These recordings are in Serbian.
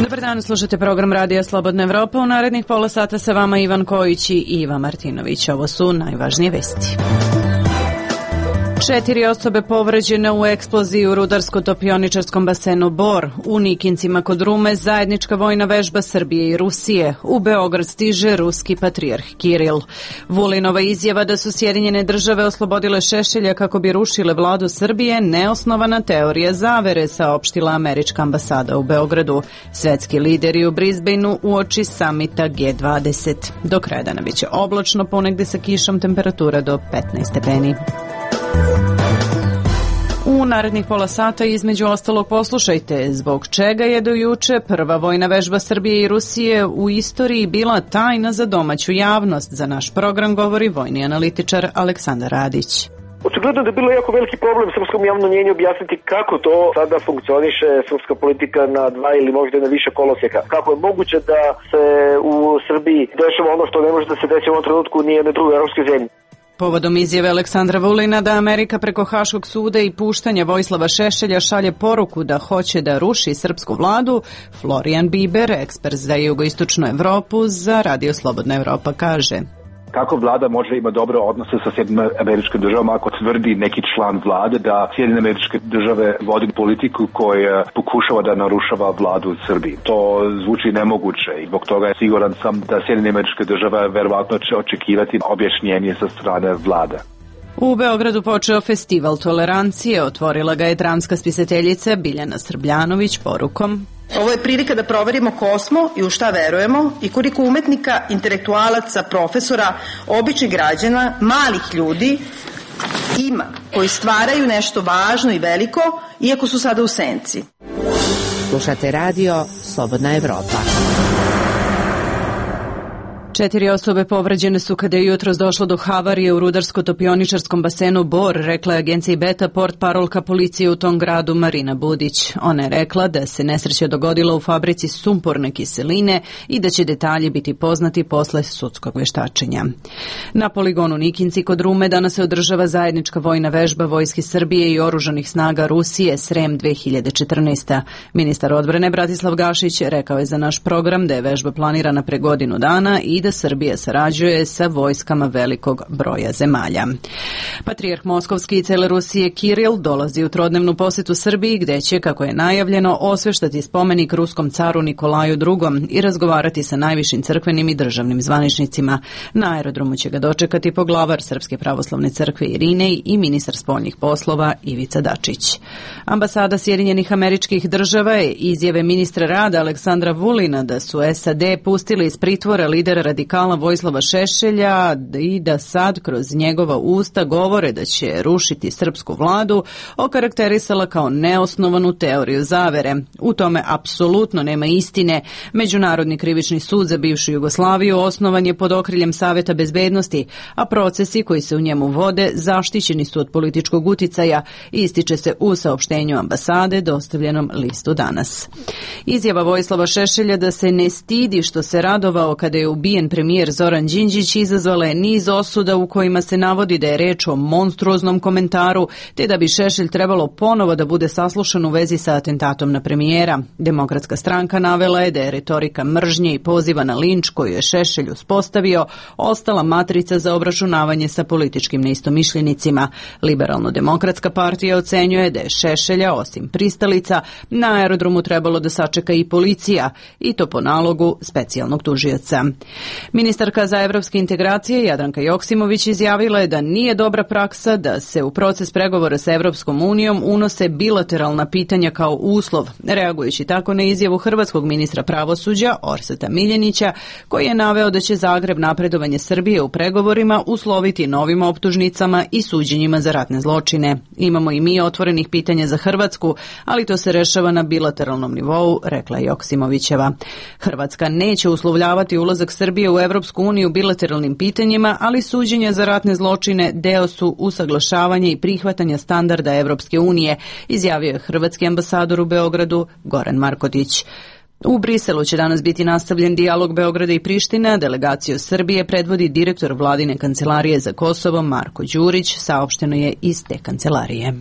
Dobar dan, slušate program Radija Slobodna Evropa. U narednih pola sata sa vama Ivan Kojić i Iva Martinović. Ovo su najvažnije vesti. 4 osobe povređene u eksploziji u rudarsko-topioničarskom basenu Bor. U Nikincima kod Rume zajednička vojna vežba Srbije i Rusije. U Beograd stiže ruski patrijarh Kiril. Vulinova izjava da su Sjedinjene države oslobodile Šešelja kako bi rušile vladu Srbije neosnovana teorija zavere, saopštila američka ambasada u Beogradu. Svetski lideri u Brisbaneu uoči samita G20. Do kraja dana biće oblačno, ponegde sa kišom, temperatura do 15 stepeni. U narednih pola sata između ostalog poslušajte zbog čega je do juče prva vojna vežba Srbije i Rusije u istoriji bila tajna za domaću javnost. Za naš program govori vojni analitičar Aleksandar Radić. Očigledno da je bilo jako veliki problem srpskom javnom mnjenju objasniti kako to sada funkcioniše srpska politika na dva ili možda na više kolosijeka. Kako je moguće da se u Srbiji dešava ono što ne može da se desi u ovom trenutku nije na drugoj evropskoj zemlji. Povodom izjave Aleksandra Vulina da Amerika preko Haškog suda i puštanja Vojislava Šešelja šalje poruku da hoće da ruši srpsku vladu, Florian Biber, ekspert za jugoistočnu Evropu za Radio Slobodna Evropa, kaže: Kako vlada može ima dobre odnose sa Sjedinjenim Američkim Državama ako tvrdi neki član vlade da Sjedinjene Američke Države vodi politiku koja pokušava da narušava vladu u Srbiji? To zvuči nemoguće i zbog toga je siguran sam da Sjedinjene Američke Države verovatno će očekivati objašnjenje sa strane vlade. U Beogradu počeo festival tolerancije, otvorila ga je dramska spisateljica Biljana Srbljanović porukom: Ovo je prilika da proverimo ko smo i u šta verujemo i koliko umetnika, intelektualaca, profesora, običnih građana, malih ljudi ima koji stvaraju nešto važno i veliko, iako su sada u senci. Slušate radio Slobodna Evropa. 4 osobe povređene su kada je jutros došlo do havarije u rudarsko-topioničarskom basenu Bor, rekla je agenciji Beta portparolka policije u tom gradu Marina Budić. Ona je rekla da se nesreća dogodila u fabrici sumporne kiseline i da će detalji biti poznati posle sudskog veštačenja. Na poligonu Nikinci kod Rume danas se održava zajednička vojna vežba Vojske Srbije i oružanih snaga Rusije Srem 2014. Ministar odbrane Bratislav Gašić rekao je za naš program da je vežba planirana pre godinu dana i da Srbija sarađuje sa vojskama velikog broja zemalja. Patrijarh Moskovski i cele Rusije Kiril dolazi u trodnevnu posetu Srbiji gde će, kako je najavljeno, osveštati spomenik ruskom caru Nikolaju II i razgovarati sa najvišim crkvenim i državnim zvaničnicima. Na aerodromu će ga dočekati poglavar Srpske pravoslavne crkve Irinej i ministar spoljnih poslova Ivica Dačić. Ambasada Sjedinjenih Američkih Država je izjave ministra rada Aleksandra Vulina da su SAD pustili iz pritvora lidera radikala Vojislava Šešelja i da sad kroz njegova usta govore da će rušiti srpsku vladu, okarakterisala kao neosnovanu teoriju zavere. U tome apsolutno nema istine. Međunarodni krivični sud za bivšu Jugoslaviju osnovan je pod okriljem Saveta bezbednosti, a procesi koji se u njemu vode zaštićeni su od političkog uticaja, ističe se u saopštenju ambasade dostavljenom listu Danas. Izjava Vojislava Šešelja da se ne stidi što se radovao kada je ubijen premijer Zoran Đinđić izazvala je niz osuda u kojima se navodi da je reč o monstruoznom komentaru, te da bi Šešelj trebalo ponovo da bude saslušan u vezi sa atentatom na premijera. Demokratska stranka navela je da je retorika mržnje i poziva na linč koju je Šešelj uspostavio ostala matrica za obračunavanje sa političkim neistomišljenicima. Liberalno-demokratska partija ocenjuje da je Šešelja, osim pristalica, na aerodromu trebalo da sačeka i policija, i to po nalogu specijalnog tužioca. Ministarka za evropske integracije Jadranka Joksimović izjavila je da nije dobra praksa da se u proces pregovora sa Evropskom unijom unose bilateralna pitanja kao uslov, reagujući tako na izjavu hrvatskog ministra pravosuđa Orsata Miljenića, koji je naveo da će Zagreb napredovanje Srbije u pregovorima usloviti novim optužnicama i suđenjima za ratne zločine. Imamo i mi otvorenih pitanja za Hrvatsku, ali to se rešava na bilateralnom nivou, rekla je Joksimovićeva. Hrvatska neće uslovljavati ulazak Srbije u Evropsku uniju bilateralnim pitanjima, ali suđenja za ratne zločine deo su usaglašavanja i prihvatanja standarda Evropske unije, izjavio je hrvatski ambasador u Beogradu Goran Markotić. U Briselu će danas biti nastavljen dijalog Beograda i Prištine. Delegaciju Srbije predvodi direktor vladine kancelarije za Kosovo Marko Đurić, saopšteno je iz te kancelarije.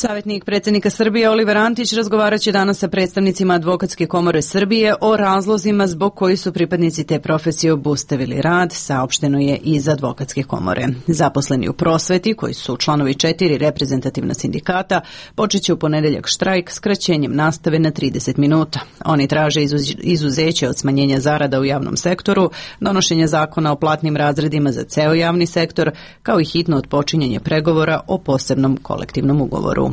Savjetnik predsjednika Srbije Oliver Antić razgovarat će danas sa predstavnicima Advokatske komore Srbije o razlozima zbog kojih su pripadnici te profesije obustavili rad, saopšteno je iz Advokatske komore. Zaposleni u prosveti, koji su članovi 4 reprezentativna sindikata, počet će u ponedeljak štrajk skraćenjem nastave na 30 minuta. Oni traže izuzeće od smanjenja zarada u javnom sektoru, donošenje zakona o platnim razredima za ceo javni sektor, kao i hitno otpočinjanje pregovora o posebnom kolektivnom ugovoru.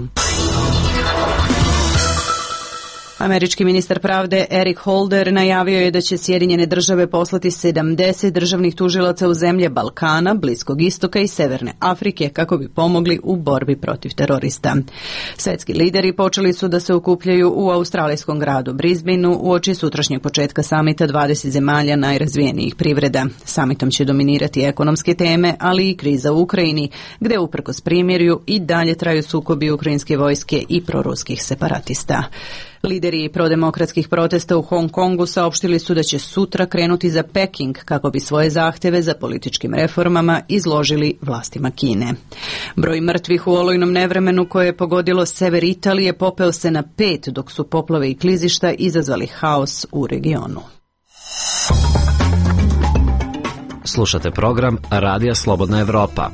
Američki ministar pravde Eric Holder najavio je da će Sjedinjene države poslati 70 državnih tužilaca u zemlje Balkana, Bliskog istoka i Severne Afrike kako bi pomogli u borbi protiv terorista. Svetski lideri počeli su da se okupljaju u australijskom gradu Brisbaneu uoči sutrašnjeg početka samita 20 zemalja najrazvijenijih privreda. Samitom će dominirati ekonomske teme, ali i kriza u Ukrajini, gde uprkos primirju i dalje traju sukobi ukrajinske vojske i proruskih separatista. Lideri prodemokratskih protesta u Hong Kongu saopštili su da će sutra krenuti za Peking kako bi svoje zahteve za političkim reformama izložili vlastima Kine. Broj mrtvih u olujnom nevremenu koje je pogodilo sever Italije popeo se na 5, dok su poplave i klizišta izazvali haos u regionu. Slušate program Radija Slobodna Evropa.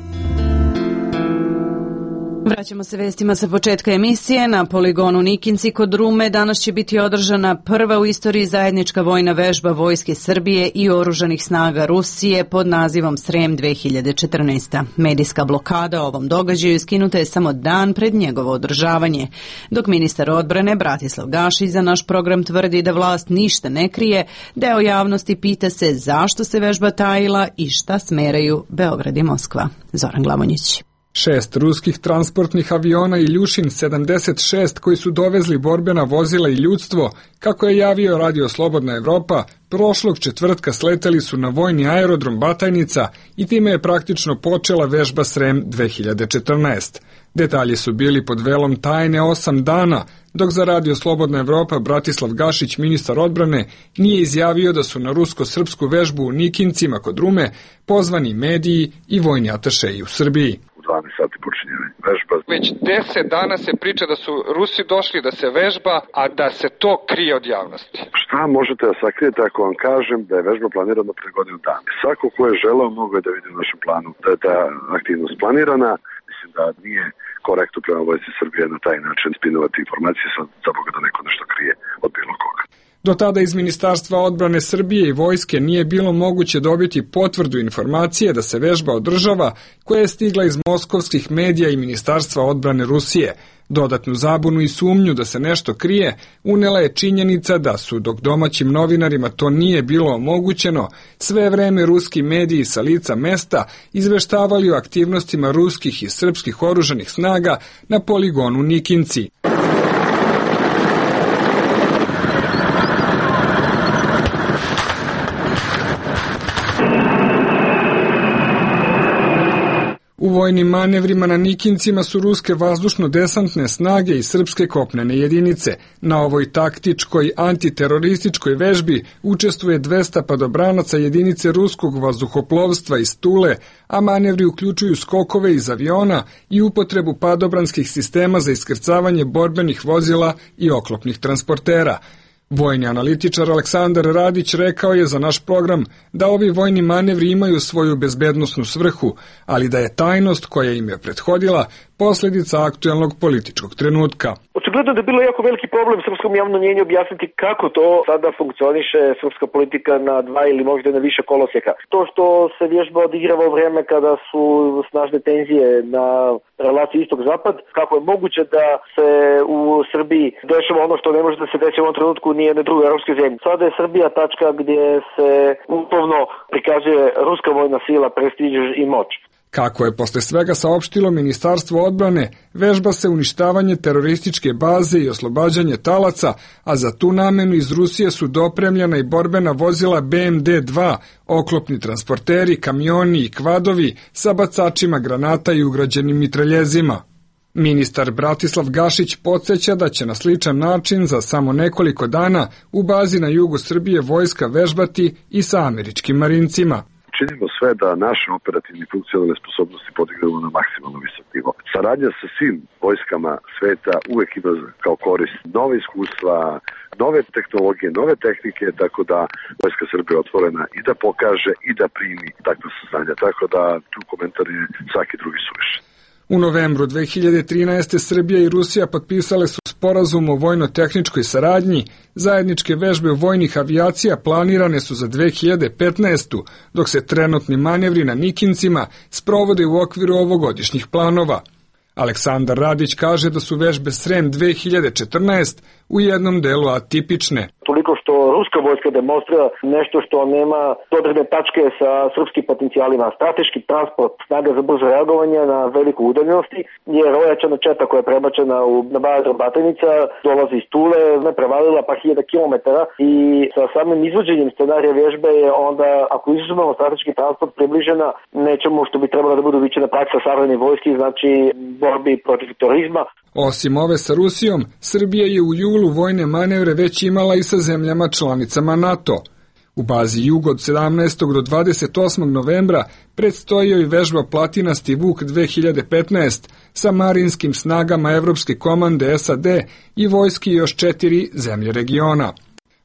Vraćamo se vestima sa početka emisije. Na poligonu Nikinci kod Rume danas će biti održana prva u istoriji zajednička vojna vežba Vojske Srbije i oružanih snaga Rusije pod nazivom Srem 2014. Medijska blokada o ovom događaju skinuta je samo dan pred njegovo održavanje, dok ministar odbrane Bratislav Gašić za naš program tvrdi da vlast ništa ne krije. Deo javnosti pita se zašto se vežba tajila i šta smeraju Beograd i Moskva. Zoran Glavonjić. 6 ruskih transportnih aviona Iljušin 76 koji su dovezli borbena vozila i ljudstvo, kako je javio Radio Slobodna Evropa, prošlog četvrtka sleteli su na vojni aerodrom Batajnica i time je praktično počela vežba Srem 2014. Detalji su bili pod velom tajne 8 dana, dok za Radio Slobodna Evropa Bratislav Gašić, ministar odbrane, nije izjavio da su na rusko-srpsku vežbu u Nikincima kod Rume pozvani mediji i vojni atašeji u Srbiji. 12 sati počinje vežba. Već 10 dana se priča da su Rusi došli da se vežba, a da se to krije od javnosti. Šta možete da sakrijete ako vam kažem da je vežba planirana pre godinu dana? Svako ko je želeo mogo je da vidi u našem planu da je ta aktivnost planirana. Mislim da nije korektno prema Vojsci Srbije na taj način spinovati informacije za Boga da neko nešto krije od bilo koga. Do tada iz Ministarstva odbrane Srbije i vojske nije bilo moguće dobiti potvrdu informacije da se vežba održava, koja je stigla iz moskovskih medija i Ministarstva odbrane Rusije. Dodatnu zabunu i sumnju da se nešto krije unela je činjenica da su, dok domaćim novinarima to nije bilo omogućeno, sve vreme ruski mediji sa lica mesta izveštavali o aktivnostima ruskih i srpskih oružanih snaga na poligonu Nikinci. U vojnim manevrima na Nikincima su ruske vazdušno-desantne snage i srpske kopnene jedinice. Na ovoj taktičkoj antiterorističkoj vežbi učestvuje 200 padobranaca jedinice ruskog vazduhoplovstva iz Tule, a manevri uključuju skokove iz aviona i upotrebu padobranskih sistema za iskrcavanje borbenih vozila i oklopnih transportera. Vojni analitičar Aleksandar Radić rekao je za naš program da ovi vojni manevri imaju svoju bezbednosnu svrhu, ali da je tajnost koja im je prethodila posljedica aktuelnog političkog trenutka. Očigledno da je bilo jako veliki problem srpskom javnom mnjenju objasniti kako to sada funkcioniše srpska politika na 2 ili možda na više kolosijeka. To što se vježba odigrava u vreme kada su snažne tenzije na relaciji istok-zapad, kako je moguće da se u Srbiji dešava ono što ne može da se desi u ovom trenutku ni jedne druge europske zemlje. Sada je Srbija tačka gdje se uslovno prikazuje ruska vojna sila, prestiž i moć. Kako je posle svega saopštilo Ministarstvo odbrane, vežba se uništavanje terorističke baze i oslobađanje talaca, a za tu namenu iz Rusije su dopremljena i borbena vozila BMD-2, oklopni transporteri, kamioni i kvadovi sa bacačima granata i ugrađenim mitraljezima. Ministar Bratislav Gašić podsjeća da će na sličan način za samo nekoliko dana u bazi na jugu Srbije vojska vežbati i sa američkim marincima. Činimo sve da naše operativne i funkcionalne sposobnosti podignemo na maksimalno visok nivo. Saradnja sa svim vojskama sveta uvek ima kao korist nove iskustva, nove tehnologije, nove tehnike, tako da Vojska Srbije je otvorena i da pokaže i da primi takva saznanja. Tako da tu komentar je svaki drugi suvišan. U novembru 2013. Srbija i Rusija potpisale su sporazum o vojno-tehničkoj saradnji. Zajedničke vežbe vojnih avijacija planirane su za 2015. dok se trenutni manevri na Nikincima sprovode u okviru ovogodišnjih planova. Aleksandar Radić kaže da su vežbe Srem 2014 u jednom delu atipične. Toliko što ruska vojska demonstrira nešto što nema dodirne tačke sa srpskim potencijalima. Strateški transport snaga za brzo reagovanje na veliku udaljenosti, jer ojačana četa koja je prebačena na bazu Batajnica dolazi iz Tule, ne prevalila pa 1000 kilometara i sa samim izvođenjem scenarija vježbe je onda, ako izuzmemo strateški transport, približena nečemu što bi trebalo da bude uviđena praksa savremene vojske, znači borbi protiv terorizma. Osim ove sa Rusijom, Srbija je u julu vojne manevre već imala i sa zemljama članicama NATO. U bazi Jug od 17. do 28. novembra predstoji joj vežba Platinasti Vuk 2015 sa marinskim snagama Evropske komande SAD i vojski još 4 zemlje regiona.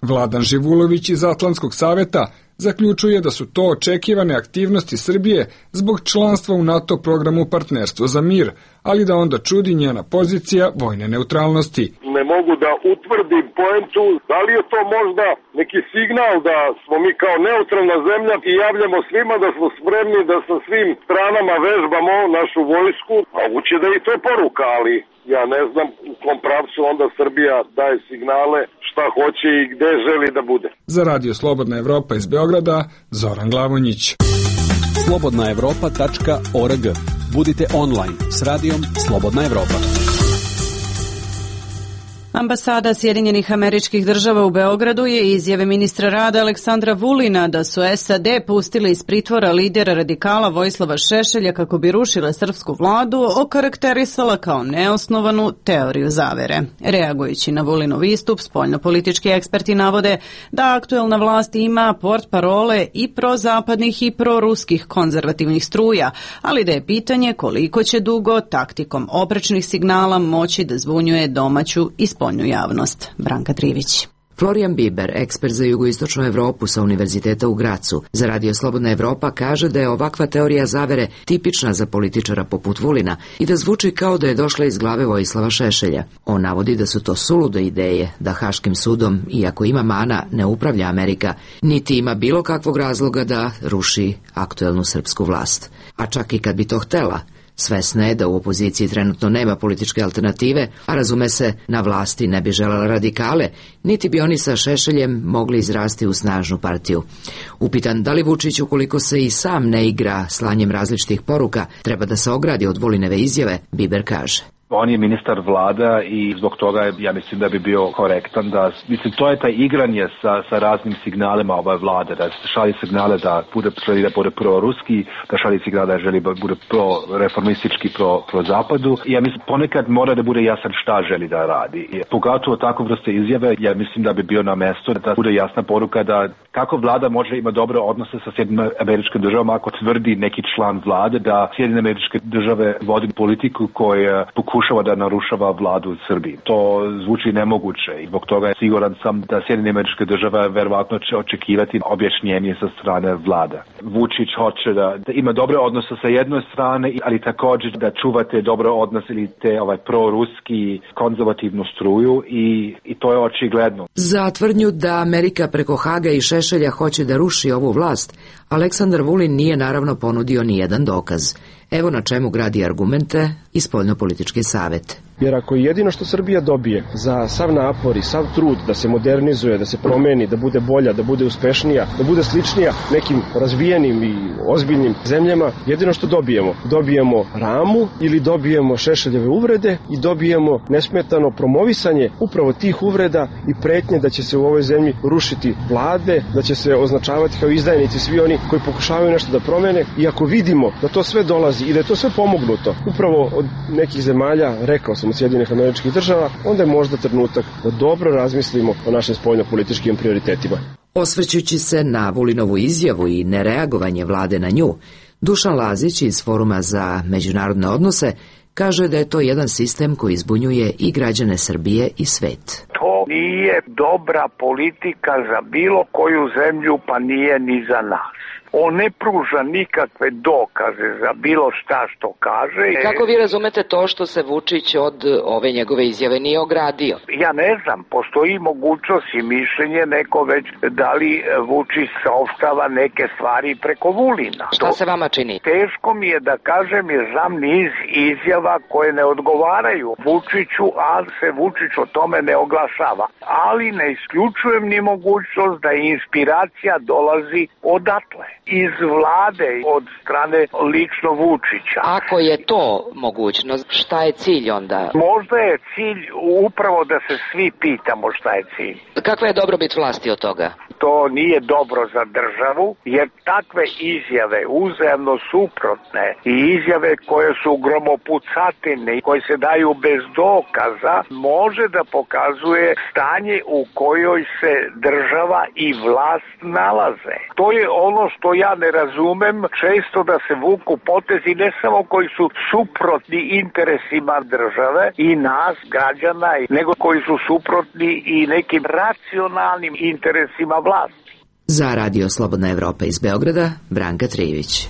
Vladan Živulović iz Atlantskog saveta zaključuje da su to očekivane aktivnosti Srbije zbog članstva u NATO programu Partnerstvo za mir, ali da onda čudi njena pozicija vojne neutralnosti. Ne mogu da utvrdim poentu, da li je to možda neki signal da smo mi kao neutralna zemlja i javljamo svima da smo spremni da sa svim stranama vežbamo našu vojsku, a ući da i to je poruka, ali ja ne znam u kom pravcu onda Srbija daje signale šta hoće i gde želi da bude. Za Radio Slobodna Evropa iz Beograda, Zoran Glavonjić. slobodnaevropa.org. Budite online s radijom Slobodna Evropa. Ambasada Sjedinjenih Američkih Država u Beogradu je izjave ministra rada Aleksandra Vulina da su SAD pustili iz pritvora lidera radikala Vojislava Šešelja kako bi rušile srpsku vladu okarakterisala kao neosnovanu teoriju zavere. Reagujući na Vulinov istup, spoljnopolitički eksperti navode da aktuelna vlast ima portparole i prozapadnih i proruskih konzervativnih struja, ali da je pitanje koliko će dugo taktikom oprečnih signala moći da zvunjuje domaću i spoljnu javnost. Branka Trivić. Florian Biber, ekspert za jugoistočnu Evropu sa Univerziteta u Gracu, za Radio Slobodna Evropa kaže da je ovakva teorija zavere tipična za političara poput Vulina i da zvuči kao da je došla iz glave Vojislava Šešelja. On navodi da su to sulude ideje, da Haškim sudom, iako ima mana, ne upravlja Amerika, niti ima bilo kakvog razloga da ruši aktuelnu srpsku vlast. A čak i kad bi to htela, svesna je da u opoziciji trenutno nema političke alternative, a razume se, na vlasti ne bi želela radikale, niti bi oni sa Šešeljem mogli izrasti u snažnu partiju. Upitan da li Vučić, ukoliko se i sam ne igra slanjem različitih poruka, treba da se ogradi od Vulineve izjave, Biber kaže. On je ministar vlada i zbog toga ja mislim da bi bio korektan da, mislim, to je taj igranje sa raznim signalima ove vlade, da šalje signale da želi da bude pro-ruski, da šalje signale da želi da bude pro-reformistički, pro-zapadu. Ja mislim, ponekad mora da bude jasan šta želi da radi. I pogotovo takvu vrste izjave, ja mislim da bi bio na mesto da bude jasna poruka da kako vlada može ima dobre odnose sa Sjedinjenim Američkim Državama ako tvrdi neki član vlade da Sjedinjene Američke Države vodi politiku koja pokušava da narušava vladu u Srbiji. To zvuči nemoguće i zbog toga siguran sam da Sjedinjene Američke Države verovatno će očekivati objašnjenje sa strane vlada. Vučić hoće da ima dobre odnose sa jednoj strane, ali također da čuvate dobre odnose ili te proruski konzervativnu struju i to je očigledno. Za tvrdnju da Amerika preko Haga i Šešelja hoće da ruši ovu vlast, Aleksandar Vulin nije naravno ponudio ni jedan dokaz. Evo na čemu gradi argumente i spoljnopolitički savet. Jer ako jedino što Srbija dobije za sav napor i sav trud da se modernizuje, da se promeni, da bude bolja, da bude uspešnija, da bude sličnija nekim razvijenim i ozbiljnim zemljama, jedino što dobijemo ramu ili dobijemo Šešeljeve uvrede i dobijemo nesmetano promovisanje upravo tih uvreda i pretnje da će se u ovoj zemlji rušiti vlade, da će se označavati kao izdajnici svi oni koji pokušavaju nešto da promene. I ako vidimo da to sve dolazi dolazi i da je to sve pomognuto upravo od nekih zemalja, rekao sam od Sjedinjenih Američkih Država, onda je možda trenutak da dobro razmislimo o našim spoljnopolitičkim prioritetima. Osvrćući se na Vulinovu izjavu i nereagovanje vlade na nju, Dušan Lazić iz Foruma za međunarodne odnose kaže da je to jedan sistem koji zbunjuje i građane Srbije i svet. To nije dobra politika za bilo koju zemlju, pa nije ni za nas. On ne pruža nikakve dokaze za bilo šta što kaže. Kako vi razumete to što se Vučić od ove njegove izjave nije ogradio? Ja ne znam, postoji mogućnost i mišljenje neko već da li Vučić saopštava neke stvari preko Vulina. Šta se vama čini? Teško mi je da kažem jer znam niz izjava koje ne odgovaraju Vučiću, a se Vučić o tome ne oglašava. Ali ne isključujem ni mogućnost da inspiracija dolazi odatle. Iz vlade, od strane lično Vučića. Ako je to mogućnost, šta je cilj onda? Možda je cilj upravo da se svi pitamo šta je cilj. Kakva je dobrobit vlasti od toga? To nije dobro za državu, jer takve izjave uzajamno suprotne i izjave koje su gromopucatine i koje se daju bez dokaza, može da pokazuje stanje u kojoj se država i vlast nalaze. To je ono što ja ne razumem, često da se vuku potezi ne samo koji su suprotni interesima države i nas, građana, nego koji su suprotni i nekim racionalnim interesima vlasti. Za Radio Slobodna Evropa iz Beograda, Branka Trijević.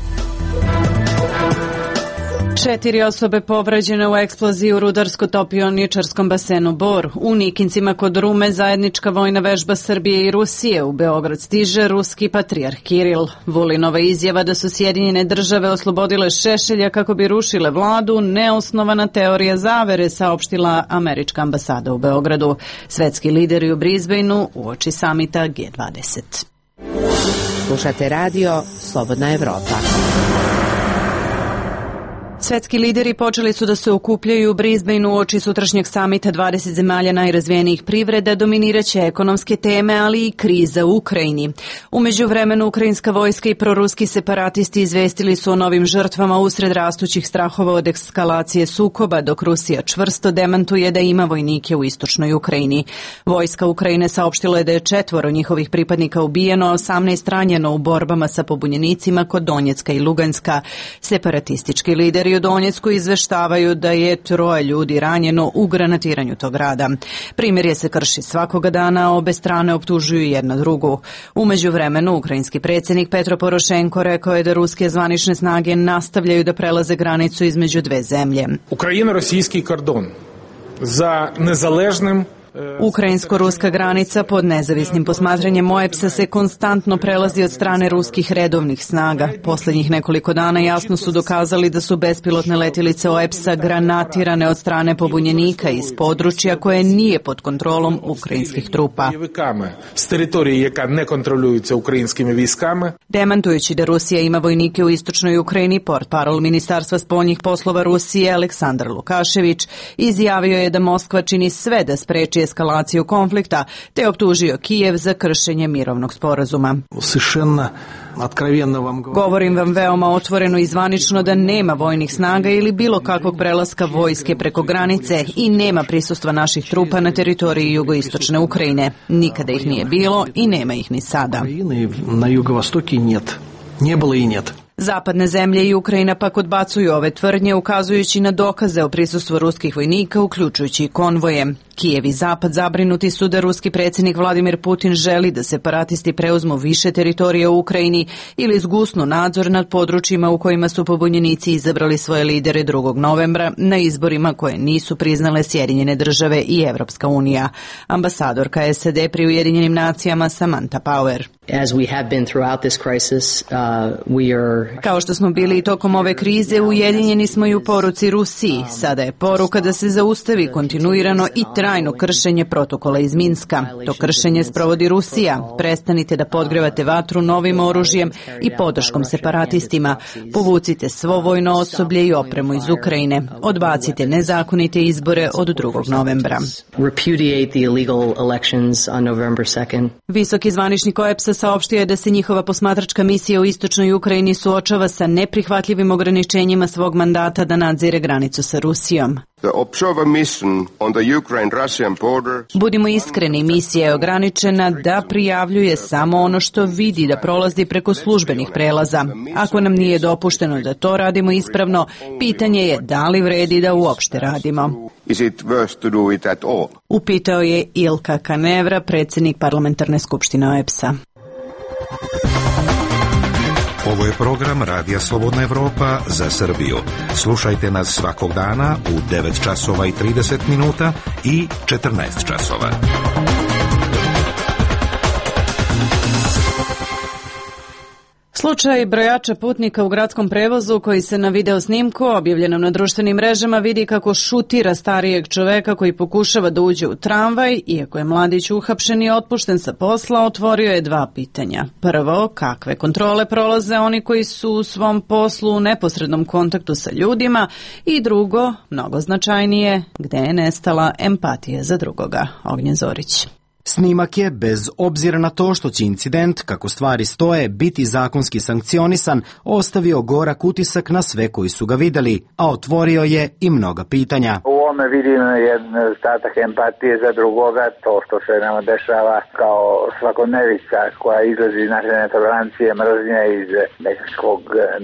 4 osobe povređene u eksploziji u rudarsko-topioničarskom basenu Bor. U Nikincima kod Rume zajednička vojna vežba Srbije i Rusije. U Beograd stiže ruski patrijarh Kiril. Vulinova izjava da su Sjedinjene države oslobodile Šešelja kako bi rušile vladu, neosnovana teorija zavere, saopštila američka ambasada u Beogradu. Svetski lideri u Brisbaneu uoči samita G20. Slušate radio Slobodna Evropa. Svetski lideri počeli su da se okupljaju u Brisbaneu uoči sutrašnjeg samita 20 zemalja najrazvijenijih privreda, dominiraće ekonomske teme, ali i kriza u Ukrajini. U međuvremenu ukrajinska vojska i proruski separatisti izvestili su o novim žrtvama usred rastućih strahova od ekskalacije sukoba, dok Rusija čvrsto demantuje da ima vojnike u istočnoj Ukrajini. Vojska Ukrajine saopštila je da je 4 njihovih pripadnika ubijeno, a 18 ranjeno u borbama sa pobunjenicima kod Donjecka i Luganska. Separatistički lideri u Donjecku izveštavaju da je 3 ljudi ranjeno u granatiranju tog grada. Primirje se krši svakoga dana, a obe strane optužuju jedna drugu. U međuvremenu, ukrajinski predsjednik Petro Porošenko rekao je da ruske zvanične snage nastavljaju da prelaze granicu između dve zemlje. Ukrajino-rosijski kordon za nezaležnim Ukrajinsko-ruska granica pod nezavisnim posmatranjem OEBS-a se konstantno prelazi od strane ruskih redovnih snaga. Posljednjih nekoliko dana jasno su dokazali da su bespilotne letjelice OEBS-a granatirane od strane pobunjenika iz područja koje nije pod kontrolom ukrajinskih trupa. S teritorije jaka ne kontroljujuća ukrajinskim viskama. Demantujući da Rusija ima vojnike u istočnoj Ukrajini, portparol Ministarstva spoljnih poslova Rusije Aleksandar Lukašević izjavio je da Moskva čini sve da spreči eskalaciju konflikta, te optužio Kijev za kršenje mirovnog sporazuma. Govorim vam veoma otvoreno i zvanično da nema vojnih snaga ili bilo kakvog prelaska vojske preko granice i nema prisustva naših trupa na teritoriji jugoistočne Ukrajine. Nikada ih nije bilo i nema ih ni sada. Na jugovostoki нет. Не было и нет. Zapadne zemlje i Ukrajina pak odbacuju ove tvrdnje, ukazujući na dokaze o prisustvu ruskih vojnika, uključujući i konvoje. Kijev i Zapad zabrinuti su da ruski predsjednik Vladimir Putin želi da separatisti preuzmu više teritorija u Ukrajini ili zgusnu nadzor nad područjima u kojima su pobunjenici izabrali svoje lidere 2. novembra na izborima koje nisu priznale Sjedinjene države i Evropska unija. Ambasadorka SAD pri Ujedinjenim nacijama Samantha Power. As we have been throughout this crisis, we are... Kao što smo bili i tokom ove krize, ujedinjeni smo i u poruci Rusiji. Sada je poruka da se zaustavi kontinuirano i trajno kršenje protokola iz Minska. To kršenje sprovodi Rusija. Prestanite da podgrevate vatru novim oružjem i podrškom separatistima. Povucite svo vojno osoblje i opremu iz Ukrajine. Odbacite nezakonite izbore od 2. novembra. Repudiate the illegal elections on November 2nd. Visoki zvaničnik OEBS-a saopštio je da se njihova posmatračka misija u istočnoj Ukrajini suočava sa neprihvatljivim ograničenjima svog mandata da nadzire granicu sa Rusijom. Budimo iskreni, misija je ograničena da prijavljuje samo ono što vidi, da prolazi preko službenih prelaza. Ako nam nije dopušteno da to radimo ispravno, pitanje je da li vredi da uopšte radimo. Upitao je Ilka Kanevra, predsjednik parlamentarne skupštine OEBS-a. Ovo je program Radija Slobodna Evropa za Srbiju. Slušajte nas svakog dana u 9 časova i 30 minuta i 14 časova. Slučaj brojača putnika u gradskom prevozu koji se na video snimku objavljenom na društvenim mrežama vidi kako šutira starijeg čoveka koji pokušava da uđe u tramvaj. Iako je mladić uhapšen i otpušten sa posla, otvorio je dva pitanja. Prvo, kakve kontrole prolaze oni koji su u svom poslu u neposrednom kontaktu sa ljudima, i drugo, mnogo značajnije, gde je nestala empatija za drugoga. Ognjen Zorić. Snimak je, bez obzira na to što će incident, kako stvari stoje, biti zakonski sankcionisan, ostavio gorak utisak na sve koji su ga videli, a otvorio je i mnoga pitanja. U ovome vidim jedan statak empatije za drugoga, to što se nama dešava kao svakodnevica koja izlazi iz naše netolerancije, mržnje, iz nekakvog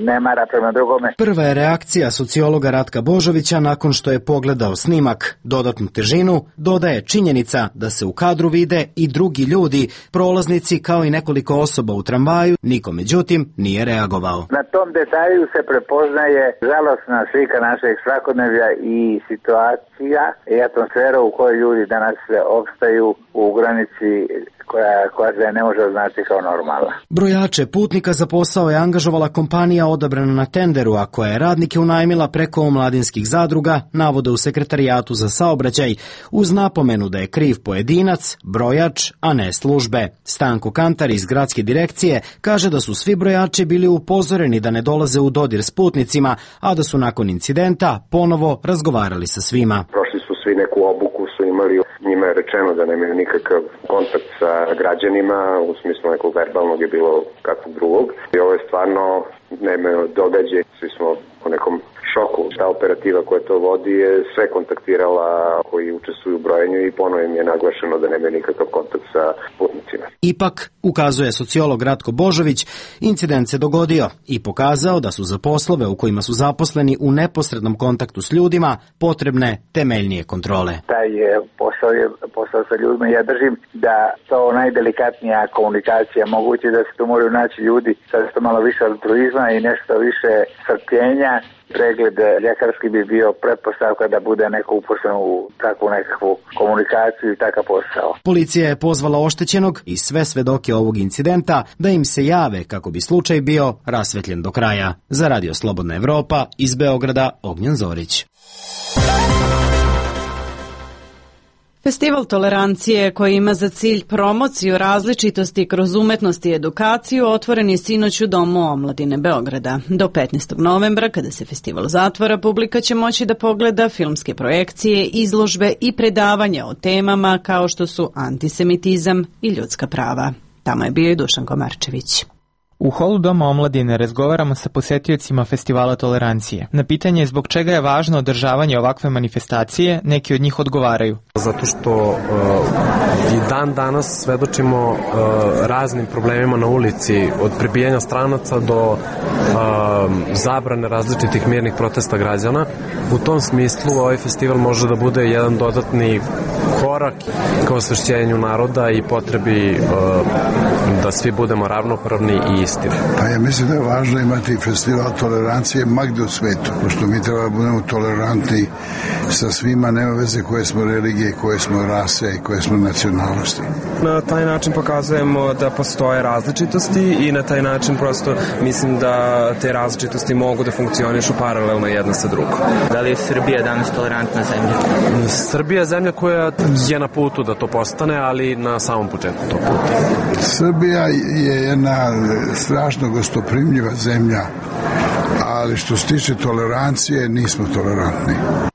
nemara prema drugome. Prva je reakcija sociologa Ratka Božovića nakon što je pogledao snimak. Dodatnu težinu dodaje činjenica da se u kadru vide i drugi ljudi, prolaznici kao i nekoliko osoba u tramvaju, niko međutim nije reagovao. Na tom detalju se prepoznaje žalosna slika našeg svakodnevlja i situacija i atmosfera u kojoj ljudi danas opstaju u granici koja se ne može označiti kao normalna. Brojače putnika za posao je angažovala kompanija odabrana na tenderu, a koja je radnike unajmila preko omladinskih zadruga, navode u Sekretarijatu za saobraćaj, uz napomenu da je kriv pojedinac, brojač, a ne službe. Stanko Kantar iz gradske direkcije kaže da su svi brojači bili upozoreni da ne dolaze u dodir s putnicima, a da su nakon incidenta ponovo razgovarali sa svima. Prošli su svi neku obuku, su imali, njima je rečeno da nemaju nikakav kontakt sa građanima, u smislu nekog verbalnog je bilo kakvog drugog. I ovo je stvarno nemaju događaj, svi smo u nekom šoku. Ta operativa koja to vodi je sve kontaktirala koji učestvuju u brojenju i ponovno im je naglašeno da nemaju nikakav kontakt sa putnicima. Ipak, ukazuje sociolog Ratko Božović, incident se dogodio i pokazao da su za poslove u kojima su zaposleni u neposrednom kontaktu s ljudima potrebne temeljnije kontrole. Taj posao sa ljudima, ja držim da to najdelikatnija komunikacija, moguće da se tu moraju naći ljudi sa što malo više altruizma i nešto više strpljenja. Pregled ljekarski bi bio pretpostavka da bude neko uposlen u takvu nekakvu komunikaciju i takav posao. Policija je pozvala oštećenog i sve svedoke ovog incidenta da im se jave kako bi slučaj bio rasvetljen do kraja. Za Radio Slobodna Evropa iz Beograda, Ognjen Zorić. Festival tolerancije koji ima za cilj promociju različitosti kroz umetnost i edukaciju otvoren je sinoć u Domu omladine Beograda. Do 15. novembra, kada se festival zatvara, publika će moći da pogleda filmske projekcije, izložbe i predavanja o temama kao što su antisemitizam i ljudska prava. Tamo je bio i Dušan Komarčević. U holu Doma omladine razgovaramo sa posetiocima Festivala tolerancije. Na pitanje zbog čega je važno održavanje ovakve manifestacije, neki od njih odgovaraju. Zato što i dan danas svedočimo raznim problemima na ulici, od prebijanja stranaca do zabrane različitih mirnih protesta građana. U tom smislu ovaj festival može da bude jedan dodatni korak ka osvešćenju naroda i potrebi da svi budemo ravnopravni i istini. Pa ja mislim da je važno imati festival tolerancije magde u svetu, pošto mi treba da budemo tolerantni sa svima, nema veze koje smo religije, koje smo rase i koje smo nacionalnosti. Na taj način pokazujemo da postoje različitosti i na taj način prosto mislim da te različitosti mogu da funkcionišu paralelno jedna sa drugom. Da li je Srbija danas tolerantna zemlja? Srbija je zemlja koja je na putu da to postane, ali na samom početku tog puta. Srbija je jedna strašno gostoprimljiva zemlja, ali što se tiče tolerancije nismo tolerantni.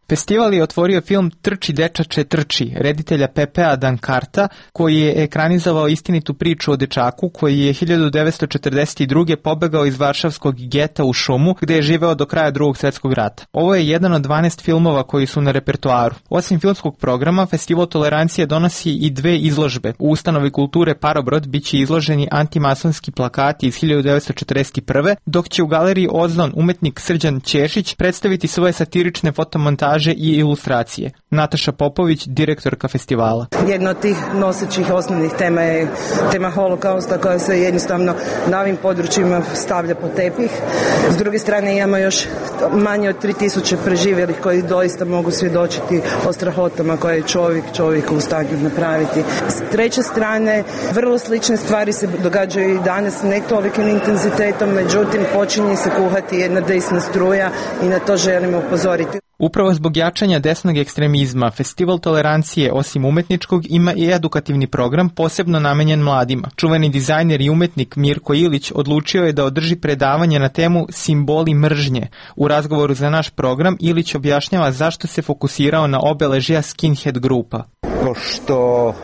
Festival je otvorio film Trči dečače trči, reditelja Pepea Dankarta, koji je ekranizovao istinitu priču o dečaku koji je 1942. pobegao iz varšavskog geta u šumu, gde je živeo do kraja Drugog svjetskog rata. Ovo je jedan od 12 filmova koji su na repertoaru. Osim filmskog programa, Festival tolerancije donosi i 2 izložbe. U ustanovi kulture Parobrod biće izloženi antimasonski plakati iz 1941. dok će u galeriji Ozon umetnik Srđan Ćešić predstaviti svoje satirične fotomontaže i ilustracije. Nataša Popović, direktorka festivala. Jedna od tih nosećih osnovnih tema je tema holokausta koja se jednostavno na ovim područjima stavlja pod tepih. S druge strane imamo još manje od 3000 preživjelih koji doista mogu svjedočiti o strahotama koje je čovjek u stanju napraviti. S treće strane, vrlo slične stvari se događaju i danas, ne tolikim intenzitetom, međutim počinje se kuhati jedna desna struja i na to želimo upozoriti. Upravo zbog jačanja desnog ekstremizma, Festival tolerancije, osim umetničkog, ima i edukativni program posebno namenjen mladima. Čuveni dizajner i umetnik Mirko Ilić odlučio je da održi predavanje na temu Simboli mržnje. U razgovoru za naš program Ilić objašnjava zašto se fokusirao na obeležja skinhead grupa. Pošto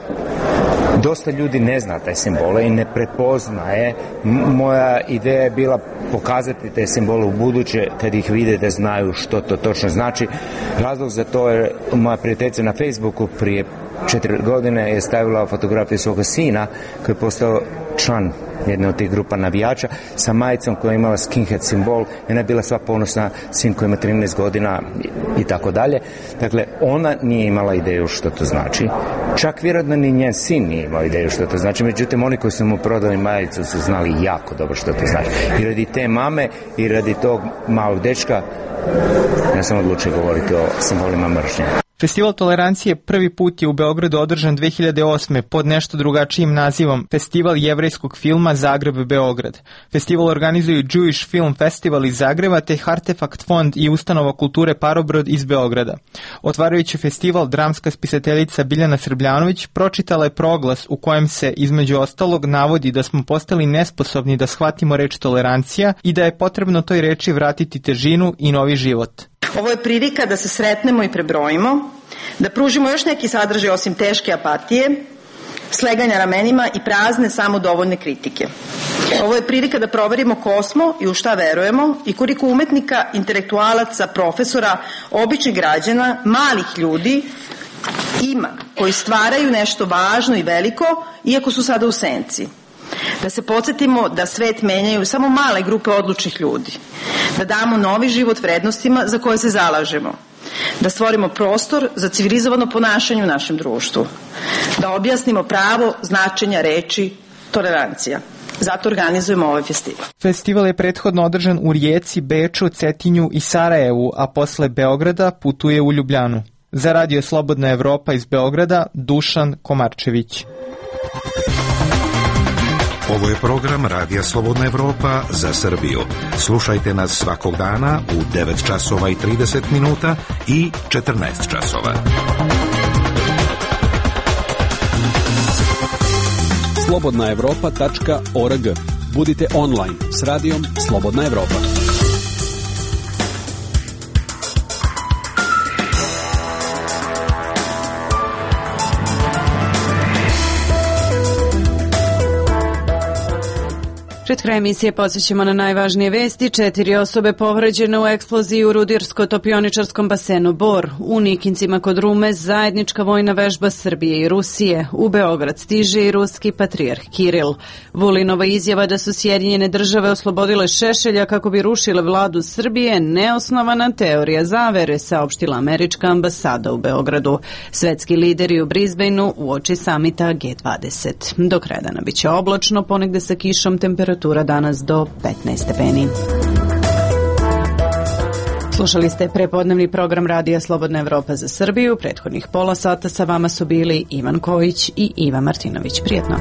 dosta ljudi ne zna te simbole i ne prepoznaje, moja ideja je bila pokazati te simbole u buduće, kad ih vide da znaju što to točno znači. Razlog za to je moja prijateljica na Facebooku prije 4 godine je stavila fotografiju svoga sina koji je postao član jedne od tih grupa navijača sa majicom koja je imala skinhead simbol i ona je bila sva ponosna, sin koji ima 13 godina i tako dalje. Dakle, ona nije imala ideju što to znači. Čak vjerojatno ni njen sin nije imao ideju što to znači, međutim oni koji su mu prodali majicu su znali jako dobro što to znači. I radi te mame i radi tog malog dečka ja sam odlučio govoriti o simbolima mržnje. Festival tolerancije prvi put je u Beogradu održan 2008. pod nešto drugačijim nazivom Festival jevrejskog filma Zagreb-Beograd. Festival organizuju Jewish Film Festival iz Zagreba te Artefakt fond i ustanova kulture Parobrod iz Beograda. Otvarajući festival, dramska spisateljica Biljana Srbljanović pročitala je proglas u kojem se između ostalog navodi da smo postali nesposobni da shvatimo reč tolerancija i da je potrebno toj reči vratiti težinu i novi život. Ovo je prilika da se sretnemo i prebrojimo, da pružimo još neki sadržaj osim teške apatije, sleganja ramenima i prazne samodovoljne kritike. Ovo je prilika da proverimo ko smo i u šta verujemo i koliko umetnika, intelektualaca, profesora, običnih građana, malih ljudi ima koji stvaraju nešto važno i veliko, iako su sada u senci. Da se podsjetimo da svet menjaju samo male grupe odlučnih ljudi. Da damo novi život vrednostima za koje se zalažemo. Da stvorimo prostor za civilizovano ponašanje u našem društvu. Da objasnimo pravo značenja reči tolerancija. Zato organizujemo ovaj festival. Festival je prethodno održan u Rijeci, Beču, Cetinju i Sarajevu, a posle Beograda putuje u Ljubljanu. Za Radio Slobodna Evropa iz Beograda, Dušan Komarčević. Ovo je program Radija Slobodna Evropa za Srbiju. Slušajte nas svakog dana u 9 časova i 30 minuta i 14 časova. slobodnaevropa.org. Budite online s radijom Slobodna Evropa. Pred kraj emisije podsjećamo na najvažnije vesti. 4 osobe povređene u eksploziji u rudarsko-topioničarskom basenu Bor. U Nikincima kod Rume zajednička vojna vežba Srbije i Rusije. U Beograd stiže i ruski patrijarh Kiril. Vulinova izjava da su Sjedinjene države oslobodile Šešelja kako bi rušile vladu Srbije neosnovana teorija zavere, saopštila američka ambasada u Beogradu. Svetski lideri u Brisbaneu uoči samita G20. Do kraja dana biće oblačno, ponegde sa kišom, temperatura danas do 15 stepeni. Slušali ste prepodnevni program Radija Slobodna Evropa za Srbiju. Prethodnih pola sata sa vama su bili Ivan Kojić i Iva Martinović. Prijetno.